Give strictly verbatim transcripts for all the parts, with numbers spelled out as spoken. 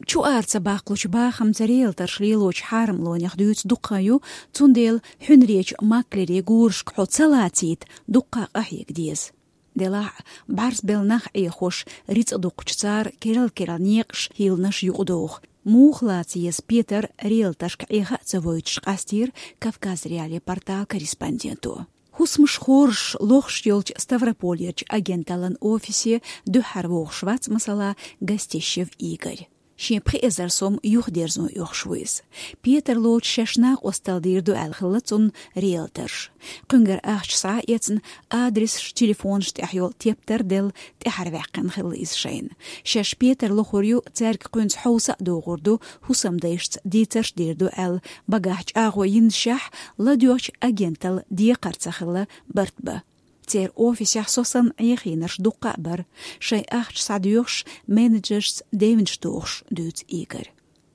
Чу ара ца баккхалучу бахамца риэлторш лелочу хьарамлонех дуьйцу дукха ю, цундела хьуьнаречу маклерийн гурашка хьо ца лацийта, дуккха къахьега деза. Делахь а, бӀаьрса белла нах Ӏехош, рицкъ дукхучу цара керла-керла некъаш, хӀилланаш юкъадоху. Муха лаца еза Петар риэлторшка Ӏеха а ца войтуш, къастийра Кавказ.Реалии порталан корреспонденто. ХӀусамаш хоржуш, лохуш йолчу Ставрополерчу агенталлан офисе дуьххьара вогӀуш вац, масала, Гостищев Игорь. Шен пхи эзар сом юхадерзо оьхуш ву иза. Петар лоцуш шаьш накъосталла дийр ду аьлла хилла цунна риэлторш. Кхуьнгара ахча схьа а эцна, адресаш, телефонаш тӀехь йолу тептар делла, тӀаьхьара ваьккхина хилла иза шайна. Шаьш Петар лохур ю, цаьрга кхуьнца хьовса а догӀур ду, хӀусамдайшца дийцарш дийр ду аьлла, багахь чӀагӀо йиннашехь, ладоьгӀчу агенталла декхар ца хилла барт бан. Церан офисехь со санна Ӏехийнарш дуккха а бара, шайн ахча схьадоьхуш, менеджершца девнаш дохуш, дуьйцу Игорь.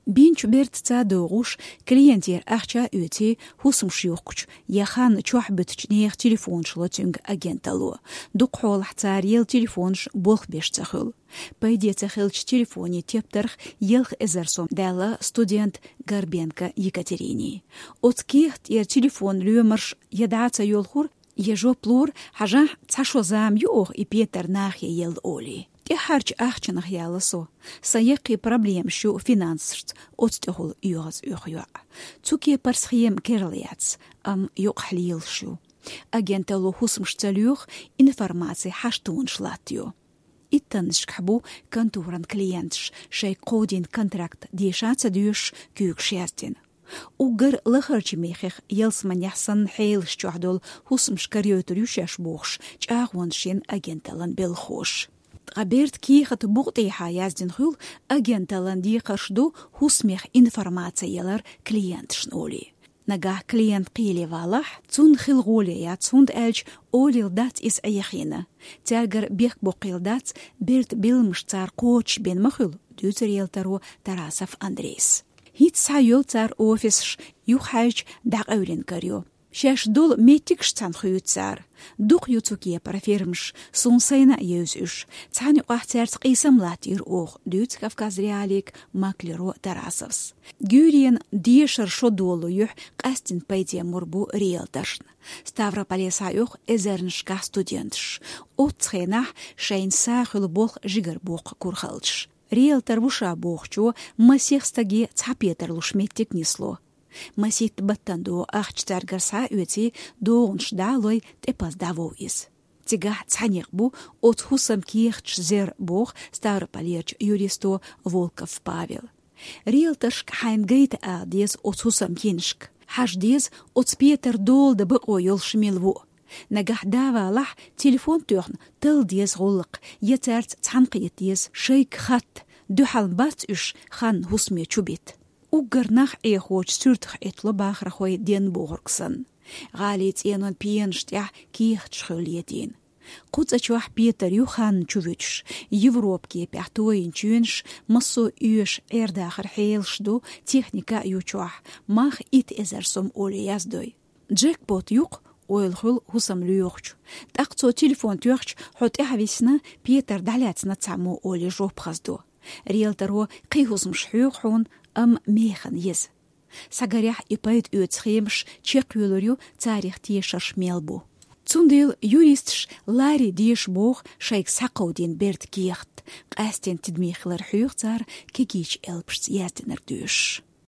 Бинчу бертаца догӀуш, клиентера ахча а оьций, хӀусамаш юхкучу я хан чохь буьтучу нехан телефонаш ло цуьнга агенталло. Дукха хьолахь цара елла телефонаш болх беш ца хуьлу. Пайде ца хиллачу телефонийн тептарх ялх эзар сом даьлла студент Горбенко Екатерине. Оцу кехат тӀера телефон лоьмарш я дӀа а ца йолхура, я жоп лора, хьажахь, цхьа шо зама ю оха и Петар нахе елла олий. ТӀаьххьарчу ахчанах яьлла со. Сан яккхий проблемаш ю финансашца, оцу тӀехула оьгӀаз оьху йоӀ. Цу кепара схема керла яц, амма юкъахь лелаш ю. Агенталло хӀусамаш ца лоьху, информаци хьаштонаш латтайо. Иттаннашкахь бу конторан клиенташ, шайга кховдийна контракт деша а ца доьшуш, куьйгаш яздина. Уггар лахарчу мехех ялсаманехь санна хьелаш чохь долу хӀусамаш карайойтур ю шаьш бохуш, чӀагӀонаш йина агенталлан белхахоша. Ткъа бертан кехат букъа тӀехьа яздина хуьлу, агенталлан декхарш ду хӀусамех информаци ялар клиенташна олий. Нагахь клиент кхеле валахь, цунна хила гӀоле яц, хӀунда аьлча олийла дац иза Ӏехийна. Цаьргара бехк боккхийла дац, бертан билламаш цара кхочушбина ма хуьлу, дуьйцу риэлторо Тарасов Андрейс. ХӀинца схьа йолу цара офисаш, юхахьаьжча дӀакъевлина карайо. Шаьш долу меттигаш цхьаьна хуьйцу цара. Дукха ю цу кепара фирмаш, суна сайна а евза уьш. Цхьана юкъахь цаьрца къийсам латтийра оха, дуьйцу Кавказ.Реалиига маклеро Тарасовс. Гуьйренан дешара шо долу юьхь къаьсттина пайде мур бу риэлторшна. Ставрополе схьаоьху эзарнашкахь студенташ. Оццу хенахь шайна са хуьлу болх жигара боккха кура хилча. Риэлтор ву ша бохучо масех стаге цхьа Петар луш меттиг нисло. Масийтта баттана догӀу ахча цаьргара схьа а оьций, догӀанаш дӀа а лой, тӀепаза дӀавоу иза. Цигахь цхьаьнакх бу оцу хӀусаман кехаташ зер, боху Ставрополерчу юристо Волков Павел. Риэлторшка хьайна гайта ала деза оцу хӀусаман йинашка. Хьажа деза оцу Петар дола дан бакъо йолуш мила ву. Нагахь да валахь, телефон тоьхна талла деза гӀуллакх, я цаьрца цхьаьна кхета деза, шайга хатта, дуьхьал бац уьш хан хӀусаме чу бита. Уггар нах Ӏехочу суьртах Ӏиттало бахархой денна бохург санна. ГӀалин цӀенон пенаш тӀехь кехаташ хуьлу летийна. Кху цӀа чохь Петар ю хан чу вуьтуш, Европа кепехь тойина чоьнаш, массо а оьшу Ӏер-дахаран хьелаш ду, техника а ю чохь, мах итт эзар сом олий яздой. Джекпот ю-кх, ойла хуьлу хӀусам лоьхучу. ТӀаккха цо телефон тоьхча, хьо тӀаьхьависна, Петар дӀалаьцна цхьаммо олий жоп хазадо. Риэлторо кхин хӀусамаш хьоьху хьуна, амма механа еза. Схьагарехь и пайда оьцу схемаш чекхйоьлур ю, царах тешарш мел бу. Цундела юристаш ларий деша боху шайга схьакховдийна бертан кехат. Къаьсттина тидаме хилар хьоьху цара кегийчу элпашца яздинарг доьшуш.